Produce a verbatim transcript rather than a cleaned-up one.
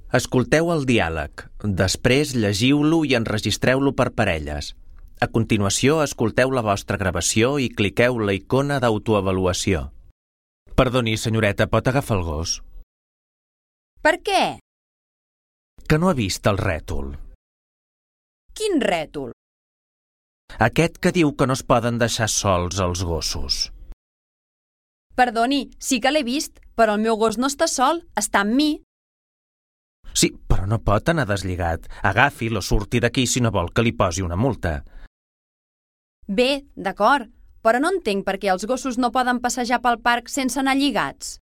Escolteu el diàleg, després llegiu-lo i enregistreu-lo per parelles. A continuació, escolteu la vostra gravació i cliqueu la icona d'autoavaluació. Perdoni, senyoreta, pot agafar el gos? Per què? Que no ha vist el rètol. Quin rètol? Aquest que diu que no es poden deixar sols els gossos. Perdoni, sí que l'he vist, però el meu gos no està sol, està amb mi. Sí, però no pot anar deslligat. Agafi'l o surti d'aquí si no vol que li posi una multa. Bé, d'acord, però no entenc per què els gossos no poden passejar pel parc sense anar lligats.